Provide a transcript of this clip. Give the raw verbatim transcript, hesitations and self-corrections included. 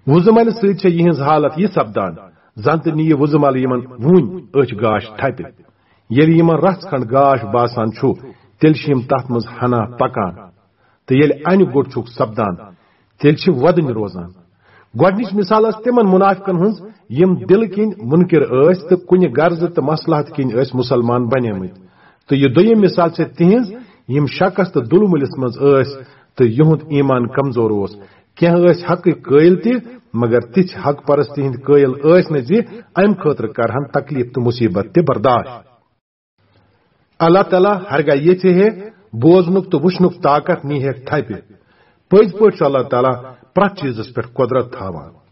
وُزملہِ سۭتۍ چھےٚ یِہٕنٛز حالت یہِ سپدان، زن تہِ نِیہِ وُزمل یِمن وُنۍ أچھ گاش تھپہِ۔ ییٚلہِ یِمن رژھ کھنڈ گاش باسان چھُ، تیٚلہِ چھِ یِم تتھ منٛز ہنا پکان، تہٕ ییٚلہِ انہِ گوٚٹ چھُکھ سپدان، تیٚلہِ چھِ وۄدٕنۍ روزان۔ گۄڈٕنِچ مثال ٲس تِمن منافقن ہٕنٛز، یِم دِلہٕ کِنۍ مُنکِر ٲسۍ تہٕ کُنہِ غرضہٕ تہٕ مصلحت کِنۍ ٲسۍ مُسلمان بنیمٕتۍ۔ تہٕ یہِ دوٚیِم مثال چھےٚ تِہنٛز، یِم شکس تہٕ دُلمُلِس منٛز ٲسۍ تہٕ یِہُنٛد ایمان کمزور اوس۔ کینٛہہ ٲسۍ حقٕکۍ قٲیِل تہِ، مگر تِژھ حق پرستی ہٕنٛدۍ قٲیِل ٲسۍ نہٕ زِ امہِ خٲطرٕ کرہن تکلیف تہٕ مصیبت تہِ برداشت۔ اللہ تعالیٰ ہرگاہ یژھِ ہے، بوزنُک تہٕ وٕچھنُک طاقت نی ہے تھپہِ۔ پٔزۍ پٲٹھۍ چھُ اللہ تعالیٰ پرٛٮ۪تھ چیٖزس پٮ۪ٹھ قۄدرت تھاوان۔